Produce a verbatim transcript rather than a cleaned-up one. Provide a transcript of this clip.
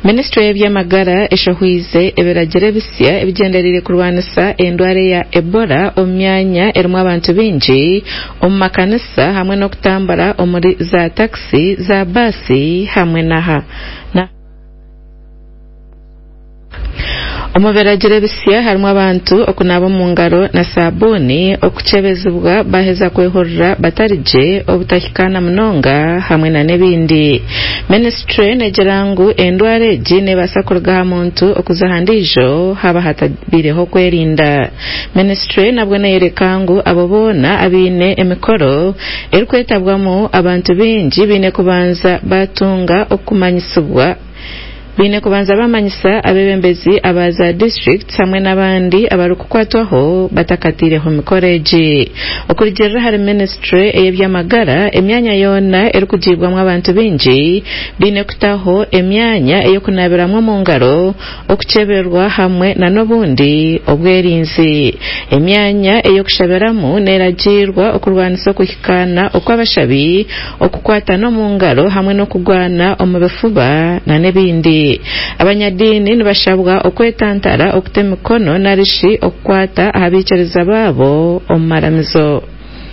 Minisitule y'eby'amagara eshohwize ebiragiro ebisya ebigyendereire kurwanisa endwara eya Ebola omu myanya erimu abantu baingi, omu makanisa hamwe n'okutambura omuri za takisi, za baasi hamwe n'aha Omu biragiro ebisya harimu abantu okunaaba omu ngaro na sabuuni, okukyebezibwa baaheza kwehurira batari gye, obutahikaana munonga hamwe n'ebindi. Minisitule neegira ngu endwara egi neebaasa kuruga aha muntu okuza aha ndiijo haaba hatabaireho okwerinda. Minisitule nabwo neeyoreka ngu abo boona abaine emikoro erikwetabwamu abantu baingi baine kubanza batunga okumanyisibwa baine kubanza bamanyisa abeebembezi aba za disiturikiti hamwe n'abandi abarikukwatwaho batakataireho mikoro egi. Okurugiirira ahari minisitule ey'eby'amagara, emyanya yoona erikugiibwamu abantu baingi baine kutaho emyanya ey'okunabiramu omu ngaro, okukyeberwa hamwe n'obundi obwerinzi. Emyanya ey'okushabiramu neeragiirwa okurwanisa okuhikaana okw'abashabi, okukwatana omu ngaro hamwe n'okugwana omu bifuba n'ebindi. Abanyadiini nibashabwa okwetantara okuta emikono narishi okukwata aha baikiriza baabo omu maramizo.